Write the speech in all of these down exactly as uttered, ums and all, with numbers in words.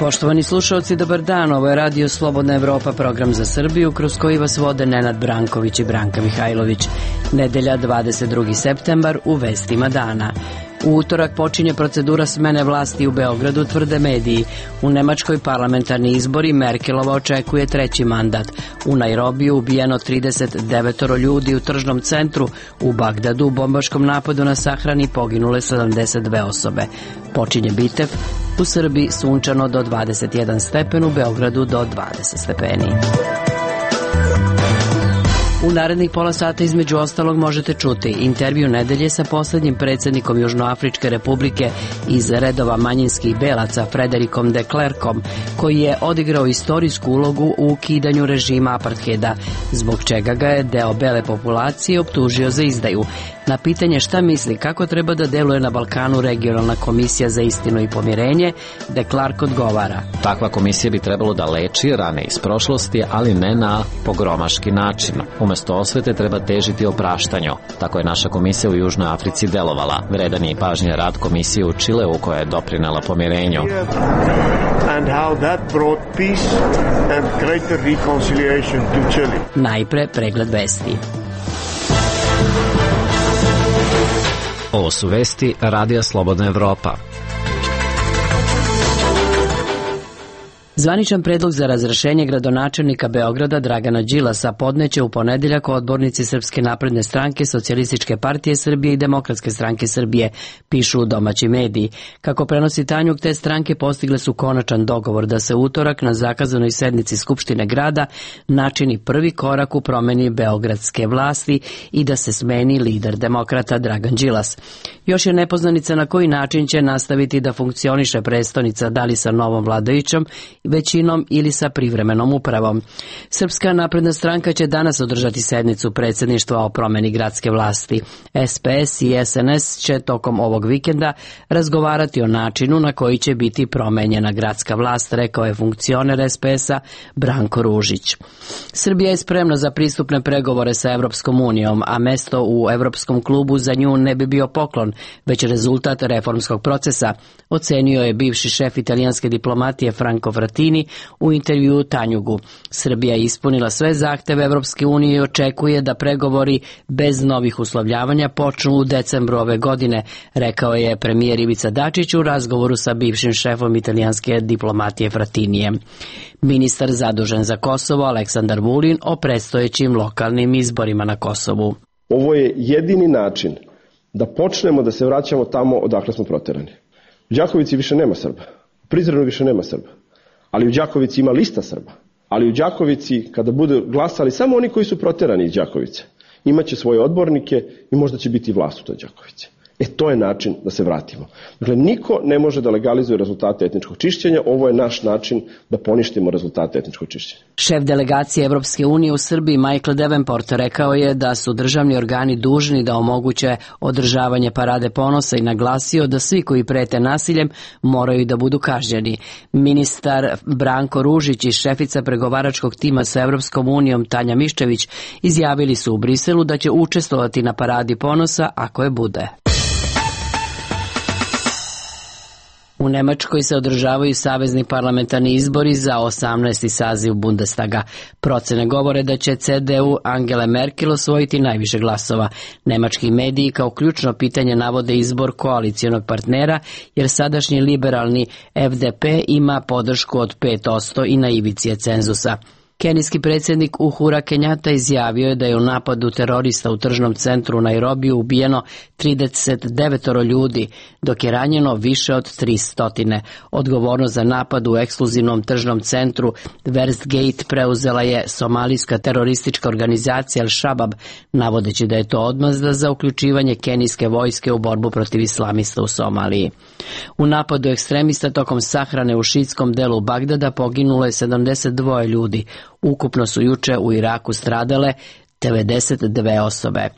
Poštovani slušalci, dobar dan. Ovo je Radio Slobodna Evropa, program za Srbiju, kroz koji vas vode Nenad Branković i Branka Mihajlović. Nedelja, dvadeset drugi septembar, u vestima dana. U utorak počinje procedura smene vlasti u Beogradu, tvrde mediji. U Nemačkoj parlamentarni izbori Merkelova očekuje treći mandat. U Nairobiju ubijeno trideset devet ljudi, u tržnom centru u Bagdadu u bombaškom napadu na sahrani poginule sedamdeset dve osobe. Počinje Bitev, u Srbiji sunčano do dvadeset jedan stepen, u Beogradu do dvadeset stepeni. U narednih pola sata između ostalog možete čuti intervju nedelje sa poslednjim predsjednikom Južnoafričke republike iz redova manjinskih belaca Frederikom de Klerkom, koji je odigrao istorijsku ulogu u ukidanju režima apartheida, zbog čega ga je deo bele populacije optužio za izdaju. Na pitanje šta misli kako treba da deluje na Balkanu regionalna komisija za istinu i pomirenje, de Klerk odgovara: Takva komisija bi trebalo da leči rane iz prošlosti, ali ne na pogromaški način. Umesto osvete treba težiti opraštanju. Tako je naša komisija u Južnoj Africi delovala. Vredan je i pažnje rad komisije u Čileu koja je doprinela pomirenju. And how that brought peace and greater reconciliation to Chile. Najpre pregled vesti. Ovo su vesti Radija Slobodna Evropa. Zvaničan predlog za razrešenje gradonačelnika Beograda Dragana Đilasa podneće u ponedeljak odbornici Srpske napredne stranke, Socijalističke partije Srbije i Demokratske stranke Srbije, pišu domaći mediji. Kako prenosi Tanjug, te stranke postigle su konačan dogovor da se utorak na zakazanoj sednici Skupštine grada načini prvi korak u promeni beogradske vlasti i da se smeni lider demokrata Dragan Đilas. Još je nepoznanica na koji način će nastaviti da funkcioniše prestonica, da li sa novom vladajućom većinom ili sa privremenom upravom. Srpska napredna stranka će danas održati sednicu predsjedništva o promeni gradske vlasti. S P S i S N S će tokom ovog vikenda razgovarati o načinu na koji će biti promenjena gradska vlast, rekao je funkcioner S P S-a Branko Ružić. Srbija je spremna za pristupne pregovore sa Evropskom unijom, a mesto u Evropskom klubu za nju ne bi bio poklon, već rezultat reformskog procesa, ocenio je bivši šef italijanske diplomatije Franco Frattini u intervjuu Tanjugu. Srbija je ispunila sve zahteve Evropske unije i očekuje da pregovori bez novih uslovljavanja počnu u decembru ove godine, rekao je premijer Ivica Dačić u razgovoru sa bivšim šefom italijanske diplomatije Frattinijem. Ministar zadužen za Kosovo Aleksandar Vulin o predstojećim lokalnim izborima na Kosovu. Ovo je jedini način da počnemo da se vraćamo tamo odakle smo proterani. U Đakovici više nema Srba, u Prizrenu više nema Srba, ali u Đakovici ima lista Srba. Ali u Đakovici, kada budu glasali samo oni koji su proterani iz Đakovice, imaće svoje odbornike i možda će biti vlast u toj Đakovici. E, to je način da se vratimo. Dakle, niko ne može da legalizuje rezultate etničkog čišćenja, ovo je naš način da poništimo rezultate etničkog čišćenja. Šef delegacije Evropske unije u Srbiji Michael Davenport rekao je da su državni organi dužni da omoguće održavanje parade ponosa i naglasio da svi koji prete nasiljem moraju da budu kažnjeni. Ministar Branko Ružić i šefica pregovaračkog tima sa Evropskom unijom Tanja Miščević izjavili su u Briselu da će učestvovati na paradi ponosa ako je bude. U Nemačkoj se održavaju savezni parlamentarni izbori za osamnaesti saziv Bundestaga. Procene govore da će C D U Angele Merkel osvojiti najviše glasova. Nemački mediji kao ključno pitanje navode izbor koalicijonog partnera, jer sadašnji liberalni F D P ima podršku od pet posto i na ivici je cenzusa. Kenijski predsjednik Uhura Kenjata izjavio je da je u napadu terorista u tržnom centru u Nairobiju ubijeno trideset devet ljudi, dok je ranjeno više od tristo. Odgovornost za napad u ekskluzivnom tržnom centru Westgate preuzela je somalijska teroristička organizacija Al-Shabaab, navodeći da je to odmazda za uključivanje kenijske vojske u borbu protiv islamista u Somaliji. U napadu ekstremista tokom sahrane u šiitskom delu Bagdada poginulo je sedamdeset dva ljudi. Ukupno su juče u Iraku stradale devedeset dve osobe.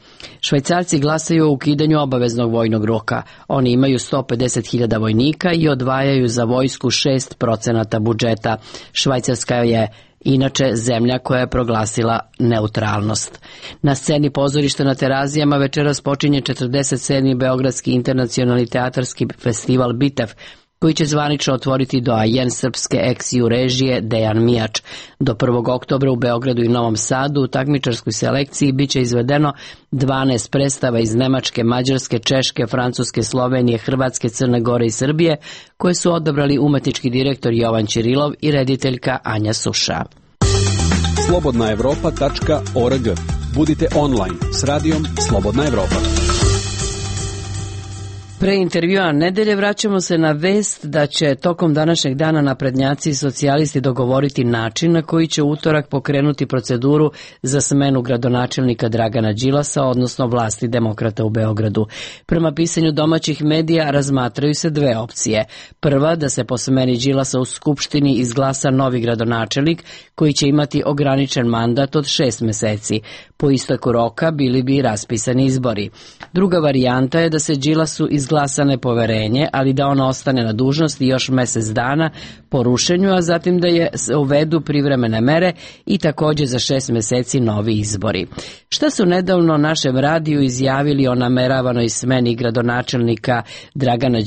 Švajcarci glasaju o ukidanju obaveznog vojnog roka. Oni imaju sto pedeset hiljada vojnika i odvajaju za vojsku šest procenata budžeta. Švajcarska je inače zemlja koja je proglasila neutralnost. Na sceni pozorišta na Terazijama večeras počinje četrdeset sedmi Beogradski internacionalni teatarski festival Bitev. koji će zvanično otvoriti doajen srpske ex-ju režije Dejan Mijač. Do prvog oktobra u Beogradu i Novom Sadu u takmičarskoj selekciji biće izvedeno dvanaest predstava iz Nemačke, Mađarske, Češke, Francuske, Slovenije, Hrvatske, Crne Gore i Srbije, koje su odabrali umetnički direktor Jovan Ćirilov i rediteljka Anja Suša. slobodna evropa tačka org. Budite online s radijom Slobodna Evropa. Pre intervjua nedelje vraćamo se na vest da će tokom današnjeg dana naprednjaci i socijalisti dogovoriti način na koji će utorak pokrenuti proceduru za smenu gradonačelnika Dragana Đilasa, odnosno vlasti demokrata u Beogradu. Prema pisanju domaćih medija razmatraju se dve opcije. Prva, da se po smeni Đilasa u Skupštini izglasa novi gradonačelnik koji će imati ograničen mandat od šest meseci. Po isteku roka bili bi raspisani izbori. Druga varijanta je da se Đilasu izglasa nepoverenje, ali da on ostane na dužnosti još mesec dana po rušenju, a zatim da je uvedu privremene mere i također za šest meseci novi izbori. Šta su nedavno našem radiju izjavili o nameravanoj smeni gradonačelnika Dragana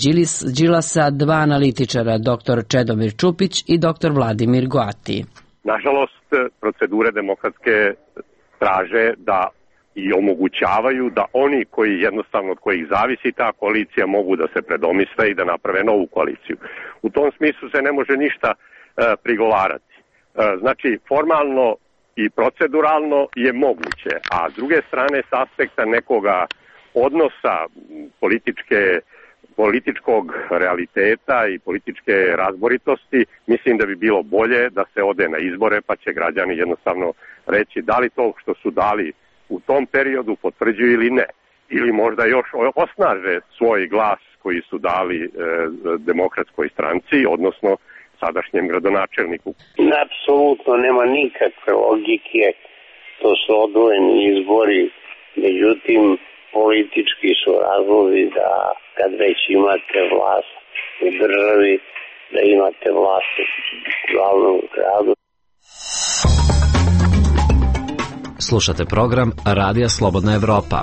Đilasa dva analitičara, doktor Čedomir Čupić i doktor Vladimir Goati? Nažalost, procedure demokratske traže da i omogućavaju da oni koji jednostavno od kojih zavisi ta koalicija mogu da se predomisle i da naprave novu koaliciju. U tom smislu se ne može ništa e, prigovarati. E, znači, formalno i proceduralno je moguće, a s druge strane s aspekta nekoga odnosa političke političkog realiteta i političke razboritosti, mislim da bi bilo bolje da se ode na izbore, pa će građani jednostavno reći da li to što su dali u tom periodu potvrđuju ili ne. Ili možda još osnaže svoj glas koji su dali e, demokratskoj stranci, odnosno sadašnjem gradonačelniku. Apsolutno nema nikakve logike, to su odvojeni izbori, međutim politički su razlozi da kad već imate vlast u državi, da imate vlast u glavnom gradu. Slušate program Radija Slobodna Evropa.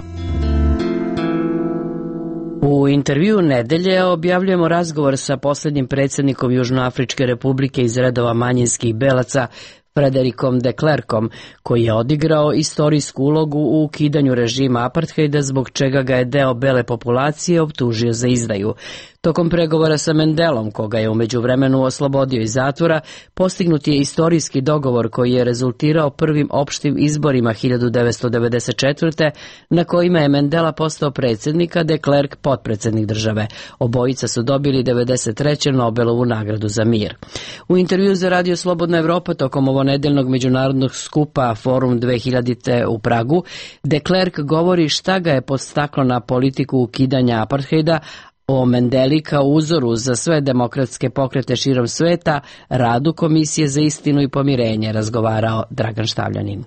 U intervju nedelje objavljujemo razgovor sa posljednjim predsjednikom Južnoafričke republike iz redova manjinskih belaca, Frederikom de Klerkom, koji je odigrao istorijsku ulogu u ukidanju režima apartheida, zbog čega ga je deo bele populacije optužio za izdaju. Tokom pregovora sa Mendelom, koga je u međuvremenu oslobodio iz zatvora, postignut je istorijski dogovor koji je rezultirao prvim opštim izborima hiljadu devetsto devedeset četvrte. na kojima je Mandela postao predsjednik, a de Klerk potpredsjednik države. Obojica su dobili devedeset treće Nobelovu nagradu za mir. U intervju za Radio Slobodna Evropa tokom ovonedeljnog međunarodnog skupa Forum dve hiljadite u Pragu, de Klerk govori šta ga je podstaklo na politiku ukidanja apartheida, o Mandeli kao uzoru za sve demokratske pokrete širom sveta, radu Komisije za istinu i pomirenje, razgovarao Dragan Štavljanin.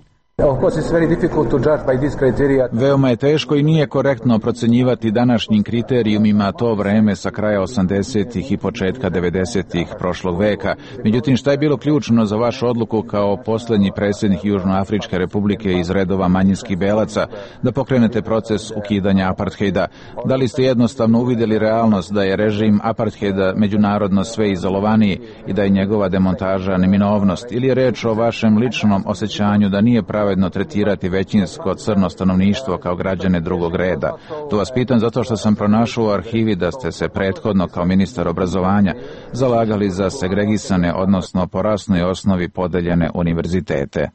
Veoma je teško i nije korektno procenjivati današnjim kriterijumima to vreme sa kraja osamdesetih i početka devedesetih prošlog veka. Međutim, šta je bilo ključno za vašu odluku kao posljednji predsjednik Južnoafričke republike iz redova manjinskih belaca da pokrenete proces ukidanja apartheida? Da li ste jednostavno uvidjeli realnost da je režim apartheida međunarodno sve izolovaniji i da je njegova demontaža neminovnost, ili je reč o vašem ličnom osjećanju da nije pravedno tretirati većinsko crno stanovništvo kao građane drugog reda? To vas pitam zato što sam pronašao u arhivi da ste se prethodno kao ministar obrazovanja zalagali za segregisane, odnosno po rasnoj osnovi podeljene univerzitete.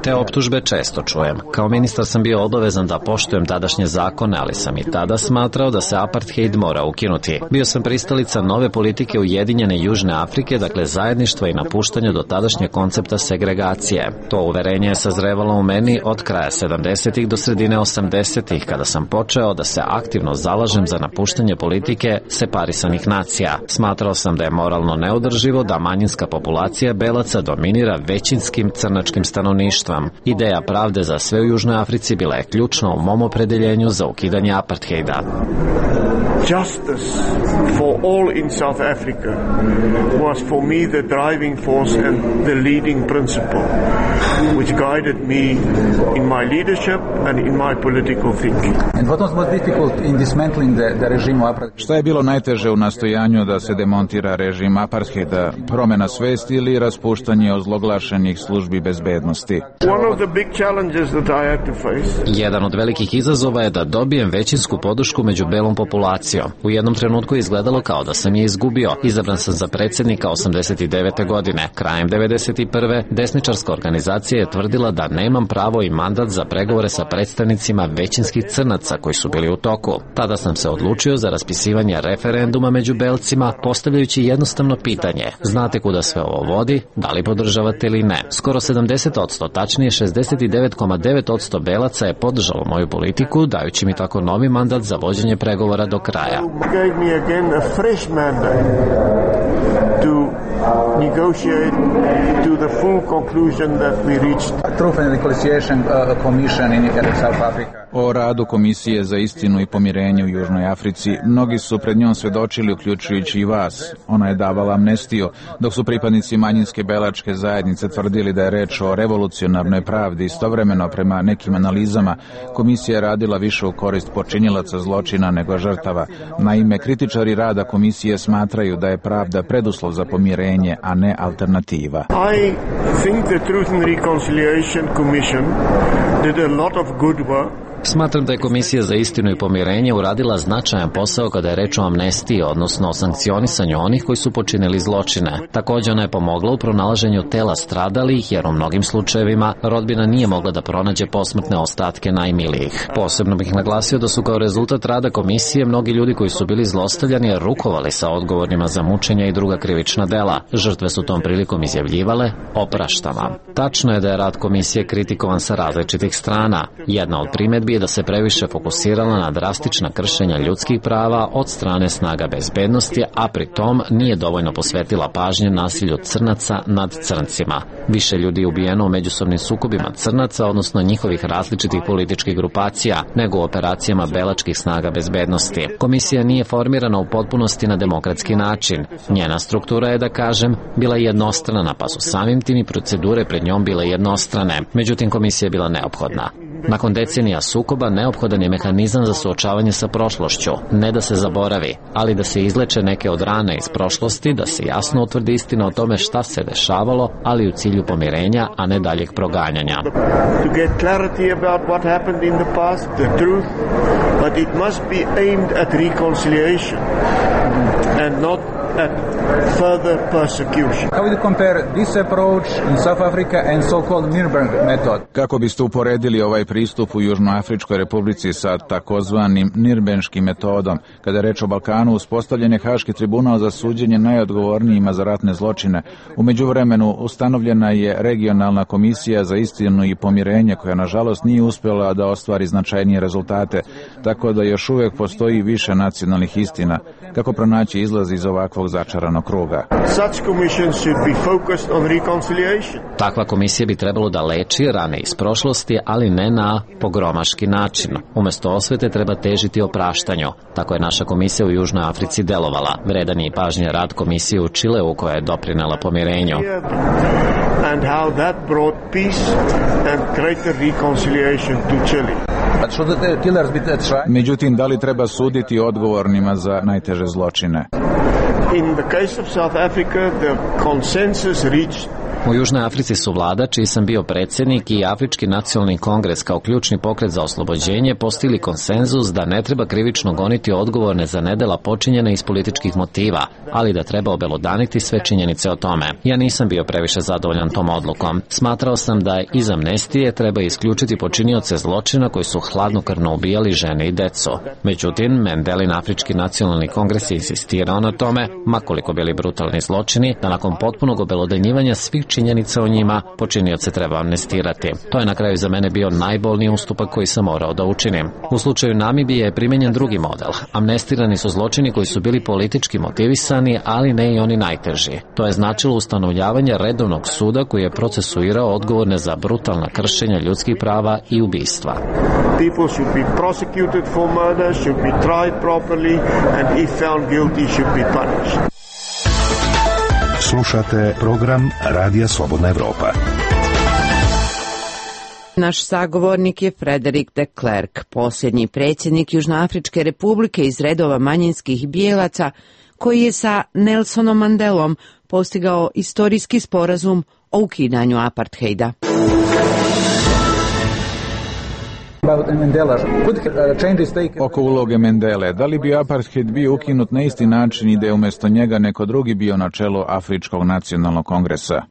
Te optužbe često čujem. Kao ministar sam bio obavezan da poštujem tadašnje zakone, ali sam i tada smatrao da se apartheid mora ukinuti. Bio sam pristalica nove politike Ujedinjene Južne Afrike, dakle zajedništva i napuštanja do tadašnje koncepta segregacije. To uverenje je sazrevalo u meni od kraja sedamdesetih do sredine osamdesetih, kada sam počeo da se aktivno zalažem za napuštanje politike separisanih nacija. Smatrao sam da je moralno neodrživo da manjinska populacija belaca dominira većinskim crnačkim stanovništvom. Ideja pravde za sve u Južnoj Africi bila je ključna u mom opredeljenju za ukidanje apartheida. Justice for all in South Africa was for me the driving force and the leading principle which guided me in my leadership and in my political thinking. And what was most difficult in dismantling the, the regime of apartheid? Šta je bilo najteže u nastojanju da se demontira režim apartheida? Promena svesti ili raspuštanje ozloglašenih službi bezbednosti? One of the big challenges that I had to face. Jedan od velikih izazova je da dobijem većinsku podršku među belom populacijom. U jednom trenutku je izgledalo kao da sam je izgubio. Izabran sam za predsjednika osamdeset devete. godine. Krajem devedeset prve. desničarska organizacija je tvrdila da nemam pravo i mandat za pregovore sa predstavnicima većinskih crnaca koji su bili u toku. Tada sam se odlučio za raspisivanje referenduma među belcima, postavljajući jednostavno pitanje: znate kuda sve ovo vodi, da li podržavate ili ne? Skoro sedamdeset posto, tačnije šezdeset devet zarez devet posto belaca je podržalo moju politiku, dajući mi tako novi mandat za vođenje pregovora do kraja. To negotiate to the full conclusion that we reached. Truth and Reconciliation uh, Commission in South Africa. O radu Komisije za istinu i pomirenje u Južnoj Africi mnogi su pred njom svedočili, uključujući i vas. Ona je davala amnestiju, dok su pripadnici manjinske belačke zajednice tvrdili da je reč o revolucionarnoj pravdi. Istovremeno, prema nekim analizama, Komisija je radila više u korist počinilaca zločina nego žrtava. Naime, kritičari rada Komisije smatraju da je pravda preduslov za pomirenje, a ne alternativa. I think the Truth and Reconciliation Commission did a lot of good work. Smatram da je Komisija za istinu i pomirenje uradila značajan posao kada je reč o amnestiji, odnosno o sankcionisanju onih koji su počinili zločine. Također ona je pomogla u pronalaženju tela stradalih, jer u mnogim slučajevima rodbina nije mogla da pronađe posmrtne ostatke najmilijih. Posebno bih naglasio da su kao rezultat rada Komisije mnogi ljudi koji su bili zlostavljani rukovali sa odgovornima za mučenja i druga krivična dela. Žrtve su tom prilikom izjavljivale: opraštam vam. Tačno je da je rad Komisije kritikovan sa različitih strana. Jedna od primjedbi je da se previše fokusirala na drastična kršenja ljudskih prava od strane snaga bezbednosti, a pri tom nije dovoljno posvetila pažnje nasilju crnaca nad crncima. Više ljudi je ubijeno u međusobnim sukobima crnaca, odnosno njihovih različitih političkih grupacija, nego u operacijama belačkih snaga bezbednosti. Komisija nije formirana u potpunosti na demokratski način. Njena struktura je, da kažem, bila jednostrana, pa su samim tim i procedure pred njom bile jednostrane. Međutim, komisija je bila neophodna. Nakon decenija sukoba neophodan je mehanizam za suočavanje sa prošlošću, ne da se zaboravi, ali da se izleče neke od rana iz prošlosti, da se jasno utvrdi istina o tome šta se dešavalo, ali u cilju pomirenja, a ne daljeg proganjanja. To get clarity about what happened in the past, the truth, but it must be aimed at reconciliation and not at further persecution. How would you compare this approach in South Africa and so-called Nuremberg method? Kako biste uporedili ovaj pristup u Južnoafričkoj republici sa takozvanim Nirnberškim metodom? Kada je reč o Balkanu, uspostavljen je Haški tribunal za suđenje najodgovornijima za ratne zločine. U međuvremenu ustanovljena je regionalna komisija za istinu i pomirenje, koja nažalost nije uspjela da ostvari značajnije rezultate, tako da još uvijek postoji više nacionalnih istina. Kako pronaći izlaz iz ovakvog začaranog kruga? Takva komisija bi trebalo da leči rane iz prošlosti, ali ne na pogromaški način. Umjesto osvete treba težiti opraštanju. Tako je naša komisija u Južnoj Africi delovala. Vredan je i pažnje rad komisije u Čileu, koja je doprinela pomirenju. And how that brought peace and greater reconciliation to Chile. Međutim, da li treba suditi odgovornima za najteže zločine? In the case of South Africa, the consensus reached. U Južnoj Africi su vlada, čiji sam bio predsjednik, i Afrički nacionalni kongres kao ključni pokret za oslobođenje postigli konsenzus da ne treba krivično goniti odgovorne za nedela počinjene iz političkih motiva, ali da treba obelodaniti sve činjenice o tome. Ja nisam bio previše zadovoljan tom odlukom. Smatrao sam da iz amnestije treba isključiti počinioce zločina koji su hladnokrvno ubijali žene i decu. Međutim, Mendelin Afrički nacionalni kongres je insistirao na tome, makoliko bili brutalni zločini, da nakon potpunog obelodanjivanja svih činjenica o njima počinioce treba amnestirati. To je na kraju za mene bio najbolniji ustupak koji sam morao da učinim. U slučaju Namibije je primenjen drugi model. Amnestirani su zločini koji su bili politički motivisani, ali ne i oni najteži. To je značilo ustanovljavanje redovnog suda koji je procesuirao odgovorne za brutalna kršenja ljudskih prava i ubistva. People should be prosecuted for murder, should be tried properly, and if found guilty should be punished. Slušate program Radija Slobodna Evropa. Naš sagovornik je Frederik de Klerk, posljednji predsjednik Južnoafričke republike iz redova manjinskih bijelaca, koji je sa Nelsonom Mandelom postigao istorijski sporazum o ukidanju apartheida. Oko uloge Mendele, da li bi apartheid bio ukinut na isti način i da je umjesto njega neko drugi bio na čelu Afričkog nacionalnog kongresa?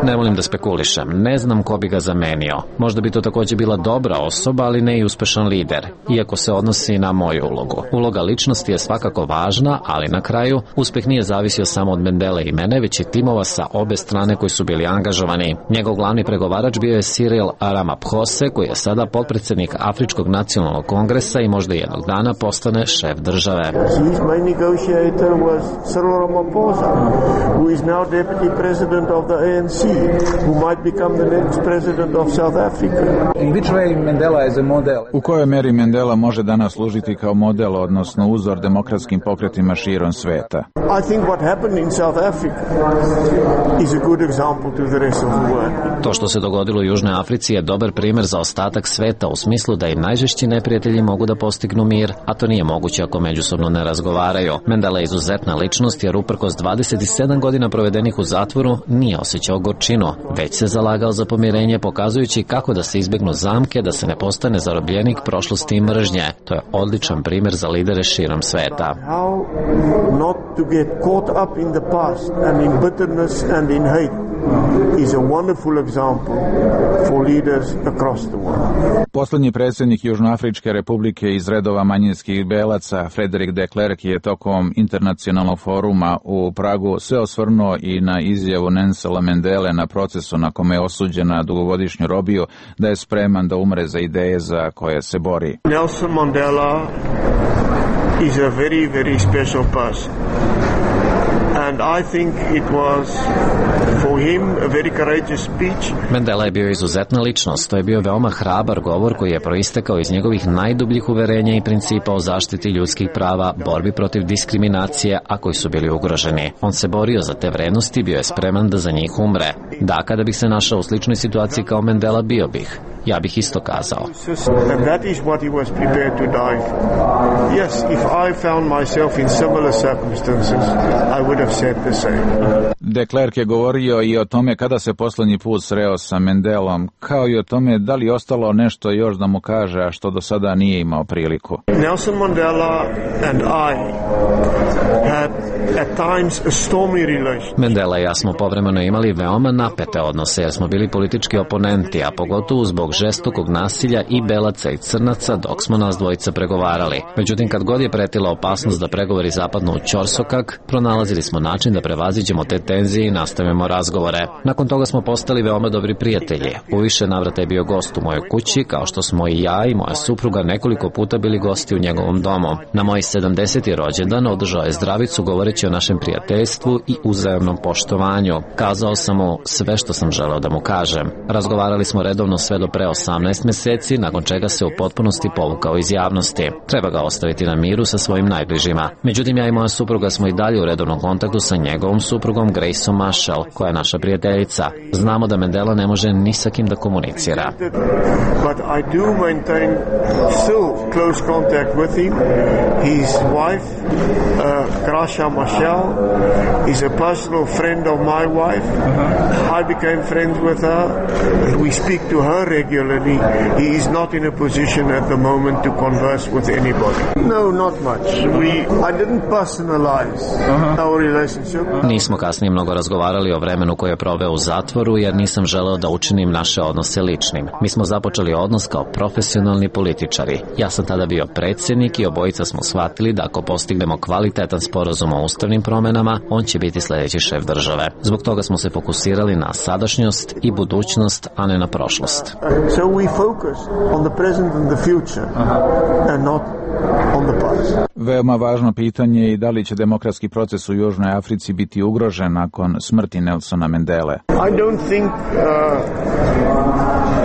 Ne volim da spekulišem, ne znam ko bi ga zamenio. Možda bi to također bila dobra osoba, ali ne i uspešan lider, iako se odnosi na moju ulogu. Uloga ličnosti je svakako važna, ali na kraju uspeh nije zavisio samo od Mendele i mene, već i timova sa obe strane koji su bili angažovani. Njegov glavni pregovarač bio je Cyril Ramaphosa, koji je sada potpredsjednik Afričkog nacionalnog kongresa i možda jednog dana postane šef države. His main negotiator was Cyril Ramaphosa, who is now deputy president of the A N C, who might become the next president of South Africa. In which way Mandela is a model? U kojoj meri Mandela može danas služiti kao model, odnosno uzor demokratskim pokretima širom sveta? I think what happened in South Africa is a good example to the rest of the world. To što se dogodilo u Južnoj Africi je dobar primjer za ostatak sveta u smislu da i najžešći neprijatelji mogu da postignu mir, a to nije moguće ako međusobno ne razgovaraju. Mandela je izuzetna ličnost jer uprkos dvadeset sedam godina provedenih u zatvoru nije osjećao gorčinu, već se zalagao za pomirenje, pokazujući kako da se izbjegnu zamke, da se ne postane zarobljenik prošlosti i mržnje. To je odličan primjer za lidere širom sveta. How not to get caught up in the past and in bitterness and in hate is a wonderful example for leaders across the world. Poslednji predsjednik Južnoafričke republike iz redova manjinskih belaca, Frederik de Klerk, je tokom internacionalnog foruma u Pragu se osvrnuo i na izjavu Nelsona Mandele na procesu na kome je osuđen na dugogodišnju robiju, da je spreman da umre za ideje za koje se bori. Nelson Mandela is a very, very special person. And I think it was for him a very courageous speech. Mandela je bio izuzetna ličnost, to je bio veoma hrabar govor koji je proistekao iz njegovih najdubljih uverenja i principa o zaštiti ljudskih prava, borbi protiv diskriminacije, a koji su bili ugroženi. On se borio za te vrednosti i bio je spreman da za njih umre. Da, kada bih se našao u sličnoj situaciji kao Mandela, bio bih. Ja bih isto kazao. And that is what he was prepared to die for. Yes, if I found myself in similar circumstances, I would have said the same. De Klerk je govorio i o tome kada se poslednji put sreo sa Mandelom, kao i o tome da li ostalo nešto još da mu kaže, a što do sada nije imao priliku. Nelson Mandela and I had at times a stormy relation. Mandela i ja smo povremeno imali veoma napete odnose jer smo bili politički oponenti, a pogotovo zbog žestokog nasilja i belaca i crnaca dok smo nas dvojica pregovarali. Međutim, kad god je pretila opasnost da pregovori zapadnu u ćorsokak, pronalazili smo način da prevaziđemo te tenzije i nastavimo razgovore. Nakon toga smo postali veoma dobri prijatelji. U više navrata je bio gost u mojoj kući, kao što smo i ja i moja supruga nekoliko puta bili gosti u njegovom domu. Na moj sedamdeseti rođendan održao je zdravicu govoreći o našem prijateljstvu i uzajamnom poštovanju. Kazao sam mu sve što sam želeo da mu kažem. Razgovarali smo redovno sve do pre osamnaest mjeseci, nakon čega se u potpunosti povukao iz javnosti. Treba ga ostaviti na miru sa svojim najbližima. Međutim, ja i moja supruga smo i dalje u redovnom kontaktu sa njegovom suprugom Graceom Marshall, koja je naša prijateljica. Znamo da Mandela ne može ni sa kim da komunicira. But I do maintain still close contact with him. His wife, uh, Graca Marshall, is a personal friend of my wife. I became friends with her. We speak to her regularly. He is not in a position at the moment to converse with anybody. No, not much. We, I didn't personalize uh-huh. our relationship. Nismo kasnije mnogo razgovarali o vremenu koje je proveo u zatvoru, jer nisam želeo da učinim naše odnose ličnim. Mi smo započeli odnos kao profesionalni političari. Ja sam tada bio predsjednik i obojica smo shvatili da ako postignemo kvalitetan sporazum o ustavnim promenama, on će biti sljedeći šef države. Zbog toga smo se fokusirali na sadašnjost i budućnost, a ne na prošlost. So we focus on the present and the future and not on the past. Veoma važno pitanje je i da li će demokratski proces u Južnoj Africi biti ugrožen nakon smrti Nelsona Mandele. I don't think uh,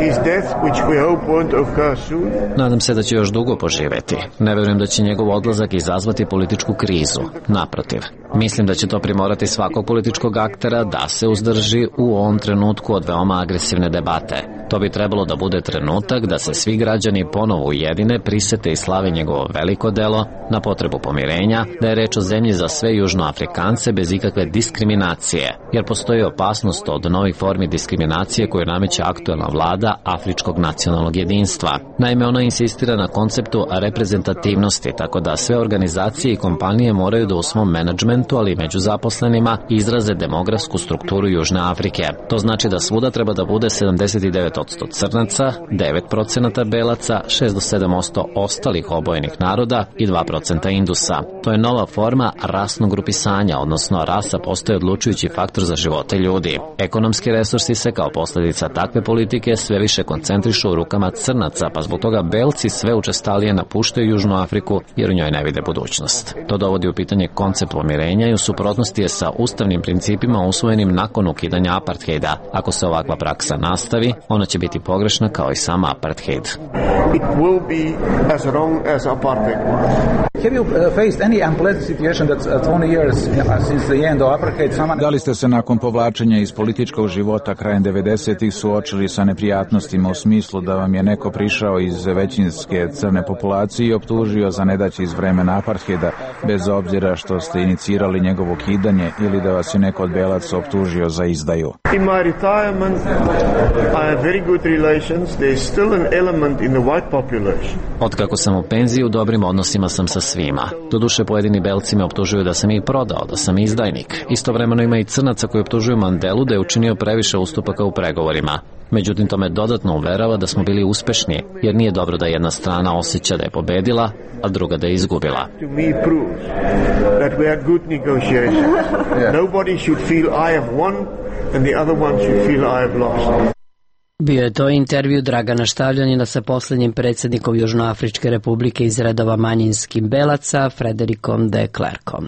his death, which we hope won't occur soon. Nadam se da će još dugo poživeti. Ne verujem da će njegov odlazak izazvati političku krizu. Naprotiv, mislim da će to primorati svakog političkog aktera da se uzdrži u ovom trenutku od veoma agresivne debate. To bi trebalo da bude trenutak da se svi građani ponovo ujedine, prisete i slave njegovo veliko delo na potrebu pomirenja, da je reč o zemlji za sve Južnoafrikance bez ikakve diskriminacije, jer postoji opasnost od novih formi diskriminacije koju nameće aktuelna vlada Afričkog nacionalnog jedinstva. Naime, ona insistira na konceptu reprezentativnosti, tako da sve organizacije i kompanije moraju da u svom menadžmentu, ali i među zaposlenima, izraze demografsku strukturu Južne Afrike. To znači da svuda treba da bude sedamdeset devet posto crnaca, devet procenata belaca, šest do sedam posto ostalih obojenih naroda i dva procenta indusa. To je nova forma rasnog grupisanja, odnosno rasa postaje odlučujući faktor za živote ljudi. Ekonomski resursi se kao posljedica takve politike sve više koncentrišu u rukama crnaca, pa zbog toga belci sve učestalije napuštaju Južnu Afriku jer u njoj ne vide budućnost. To dovodi u pitanje koncept pomirenja i u suprotnosti je sa ustavnim principima usvojenim nakon ukidanja apartheida. Ako se ovakva praksa nastavi, ona će biti pogrešna kao i sam apartheid. It will be as wrong as apartheid was. Have you uh, faced any unpleasant situation that uh, twenty years uh, since the end of apartheid? Someone... Da li ste se nakon povlačenja iz političkog života krajem devedesetih suočili sa neprijatnostima u smislu da vam je neko prišao iz većinske crne populacije i optužio za nedaće iz vremena apartheida, bez obzira što ste inicirali njegovo ukidanje, ili da vas je neko od belaca optužio za izdaju? In my retirement, I have very good relations. There is still an element in the white population. Od kako sam u penziji, u dobrim odnosima sam sa svima. Doduše, pojedini belci me optužuju da sam ih prodao, da sam izdajnik. Istovremeno ima i crnaca koji optužuju Mandelu da je učinio previše ustupaka u pregovorima. Međutim, to me dodatno uverava da smo bili uspešni, jer nije dobro da jedna strana osjeća da je pobedila, a druga da je izgubila. To me proves that we had good negotiations. Nobody should feel I have won and the other one should feel I have lost. Bio je to intervju Dragana Štavljanina sa posljednjim predsjednikom Južnoafričke republike iz redova manjinskim belaca, Frederikom de Klerkom.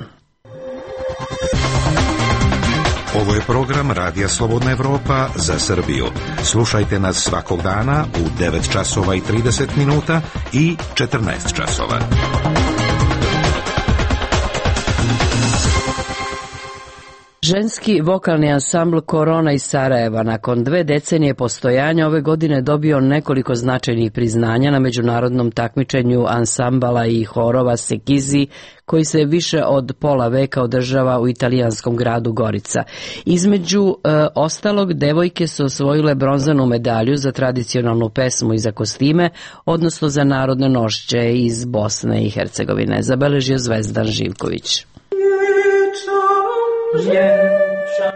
Ovo je program Radija Slobodna Evropa za Srbiju. Slušajte nas svakog dana u devet časova i trideset minuta i četrnaest časova. Ženski vokalni ansambl Korona iz Sarajeva nakon dve decenije postojanja ove godine dobio nekoliko značajnih priznanja na međunarodnom takmičenju ansambala i horova Sekizi, koji se više od pola veka održava u italijanskom gradu Gorica. Između e, ostalog, devojke su osvojile bronzanu medalju za tradicionalnu pesmu i za kostime, odnosno za narodne nošće iz Bosne i Hercegovine, zabeležio Zvezdan Živković.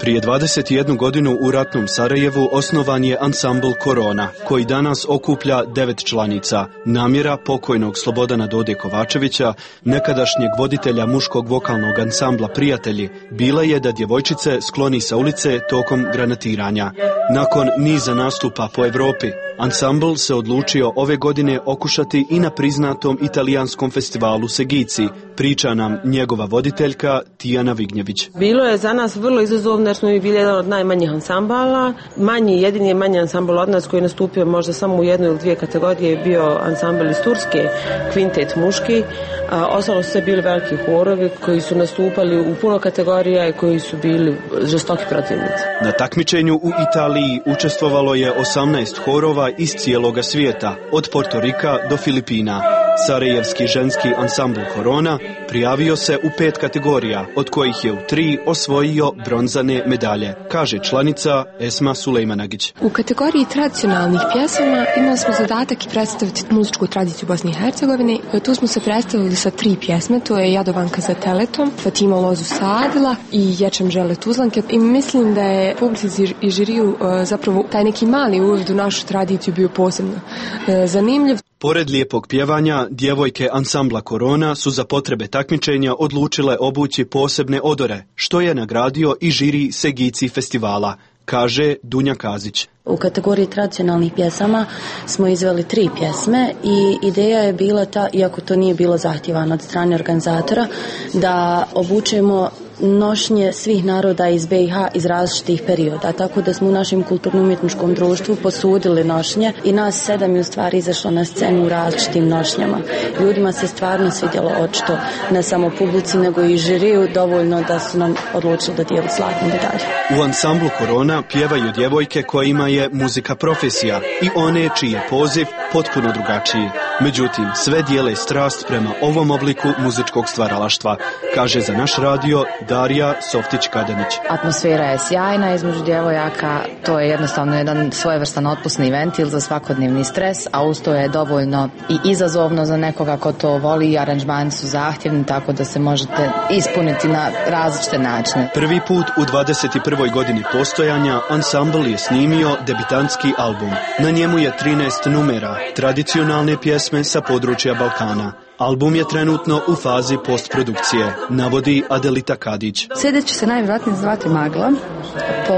Prije dvadeset jednu godinu u ratnom Sarajevu osnovan je ansambl Korona, koji danas okuplja devet članica. Namjera pokojnog Slobodana Dode Kovačevića, nekadašnjeg voditelja muškog vokalnog ansambla Prijatelji, bila je da djevojčice skloni sa ulice tokom granatiranja. Nakon niza nastupa po Evropi, ansambl se odlučio ove godine okušati i na priznatom italijanskom festivalu Segici, priča nam njegova voditeljka Tijana Vignjević. Bilo je za nas vrlo izazovno jer smo mi bili jedan od najmanjih ansambala. Manji, jedini je manji ansambl od nas koji je nastupio možda samo u jednoj ili dvije kategorije je bio ansambl iz Turske, kvintet muški. A, ostalo su sve bili veliki horovi koji su nastupali u puno kategorija i koji su bili žestoki protivnici. Na takmičenju u Italiji učestvovalo je osamnaest horova iz cijeloga svijeta, od Portorika do Filipina. Sarajevski ženski ansambl Korona prijavio se u pet kategorija, od kojih je u tri osvojio bronzane medalje, kaže članica Esma Sulejmanagić. U kategoriji tradicionalnih pjesama imali smo zadatak i predstaviti muzičku tradiciju Bosne i Hercegovine. Tu smo se predstavili sa tri pjesme, to je Jadovanka za teletom, Fatima lozu sadila i Ječem žele tuzlanke. I mislim da je publici i žiriju zapravo taj neki mali uvid u našu tradiciju bio posebno zanimljiv. Pored lijepog pjevanja, djevojke ansambla Korona su za potrebe takmičenja odlučile obući posebne odore, što je nagradio i žiri Segici festivala. kaže Dunja Kazić. U kategoriji tradicionalnih pjesama smo izveli tri pjesme i ideja je bila ta, iako to nije bilo zahtjevano od strane organizatora, da obučemo nošnje svih naroda iz B i H iz različitih perioda, tako da smo u našem kulturno-umjetničkom društvu posudili nošnje i nas sedam je u stvari izašlo na scenu u različitim nošnjama. Ljudima se stvarno svidjelo očito, ne samo publici nego i žiriju, dovoljno da su nam odlučili da dijelu zlatnu medalju. U ansamblu Korona pjevaju djevojke kojima je muzika profesija i one čiji je poziv potpuno drugačiji. Međutim, sve dijele strast prema ovom obliku muzičkog stvaralaštva, kaže za naš radio Darija Softić-Kadanić. Atmosfera je sjajna između djevojaka, to je jednostavno jedan svojevrstan otpusni ventil za svakodnevni stres, a uz to je dovoljno i izazovno za nekoga ko to voli i aranžmani su zahtjevni, tako da se možete ispuniti na različite načine. Prvi put u dvadeset prvoj godini postojanja ansambl je snimio debitantski album. Na njemu je trinaest numera, tradicionalne pjesme sa područja Balkana. Album je trenutno u fazi postprodukcije, navodi Adelita Kadić. C D će se najvjerojatnije zvati Magla, po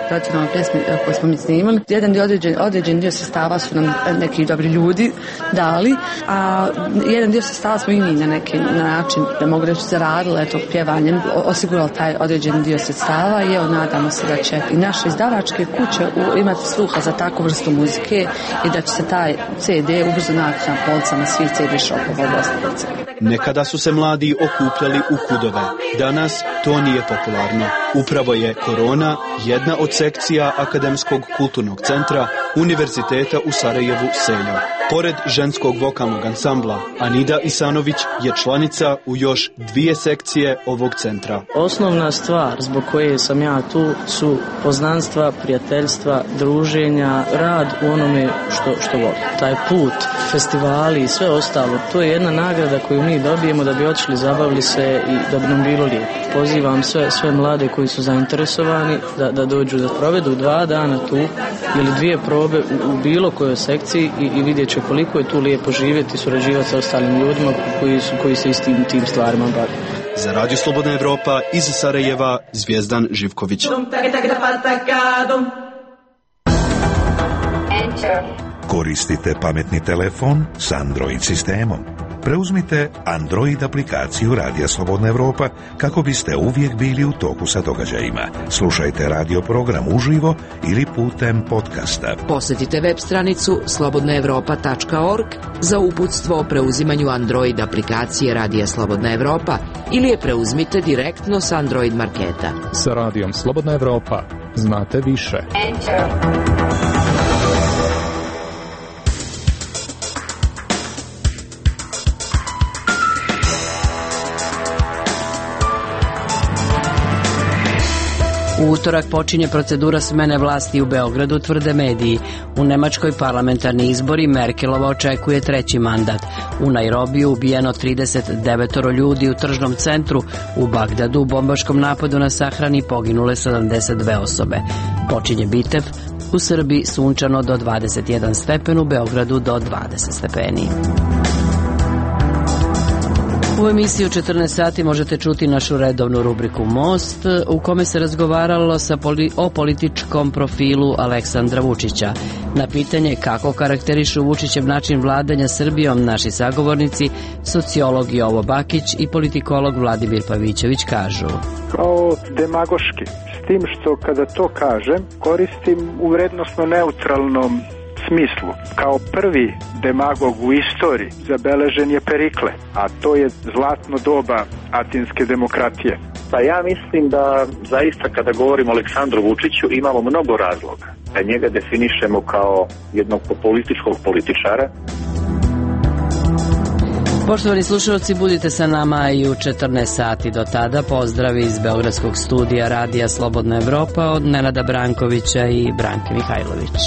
tradicionalnoj pjesmi koju smo mi snimali. Jedan dio određen, određen dio sredstava su nam neki dobri ljudi dali, a jedan dio sredstava smo i mi na neki način, da mogu reći, zaradili, eto, pjevanjem, osigurali taj određen dio sredstava i evo, nadamo se da će i naše izdavačke kuće imati sluha za takvu vrstu muzike i da će se taj C D ubrzo naći na policama svih C D shopova. Nekada su se mladi okupljali u kudove, danas to nije popularno. Upravo je Korona jedna od sekcija Akademskog kulturnog centra Univerziteta u Sarajevu Seljo. Pored ženskog vokalnog ansambla, Anida Isanović je članica u još dvije sekcije ovog centra. Osnovna stvar zbog koje sam ja tu su poznanstva, prijateljstva, druženja, rad u onome što, što volim. Taj put, festivali i sve ostalo, to je jedna nagrada koju mi dobijemo da bi otišli, zabavili se i da bi nam bilo lijepo. Pozivam sve, sve mlade koji su zainteresovani da, da dođu, da provedu dva dana tu ili dvije probe u, u bilo kojoj sekciji i, i vidjet će koliko je tu lijepo živjeti i surađivati sa ostalim ljudima koji, su, koji se istim tim stvarima bave. Za Radio Slobodna Evropa iz Sarajeva, Zvijezdan Živković. Koristite pametni telefon s Android sistemom. Preuzmite Android aplikaciju Radija Slobodna Evropa kako biste uvijek bili u toku sa događajima. Slušajte radio program uživo ili putem podcasta. Posjetite web stranicu slobodna evropa tačka org za uputstvo o preuzimanju Android aplikacije Radija Slobodna Evropa ili je preuzmite direktno s Android marketa. Sa Radijom Slobodna Evropa znate više. Enter. U utorak počinje procedura smene vlasti u Beogradu, tvrde mediji. U Nemačkoj parlamentarni izbori Merkelova očekuje treći mandat. U Nairobiju ubijeno trideset devet ljudi u tržnom centru. U Bagdadu u bombaškom napadu na sahrani poginule sedamdeset dve osobe. Počinje Bitev. U Srbiji sunčano do dvadeset jedan stepen, u Beogradu do dvadeset stepeni. U emisiji u četrnaest sati možete čuti našu redovnu rubriku Most, u kome se razgovaralo sa poli, o političkom profilu Aleksandra Vučića. Na pitanje kako karakterišu Vučićev način vladanja Srbijom naši sagovornici, sociolog Jovo Bakić i politikolog Vladimir Pavićević kažu. Kao demagoški, s tim što kada to kažem koristim u vrednosno neutralnom smislu. Kao prvi demagog u istoriji zabeležen je Perikle, a to je zlatno doba atinske demokratije. Pa ja mislim da zaista kada govorimo o Aleksandru Vučiću imamo mnogo razloga da njega definišemo kao jednog političkog političara. Poštovani slušalci, budite sa nama i u četrnaest sati. Do tada pozdrav iz Beogradskog studija Radija Slobodna Evropa od Nenada Brankovića i Branke Mihajlović.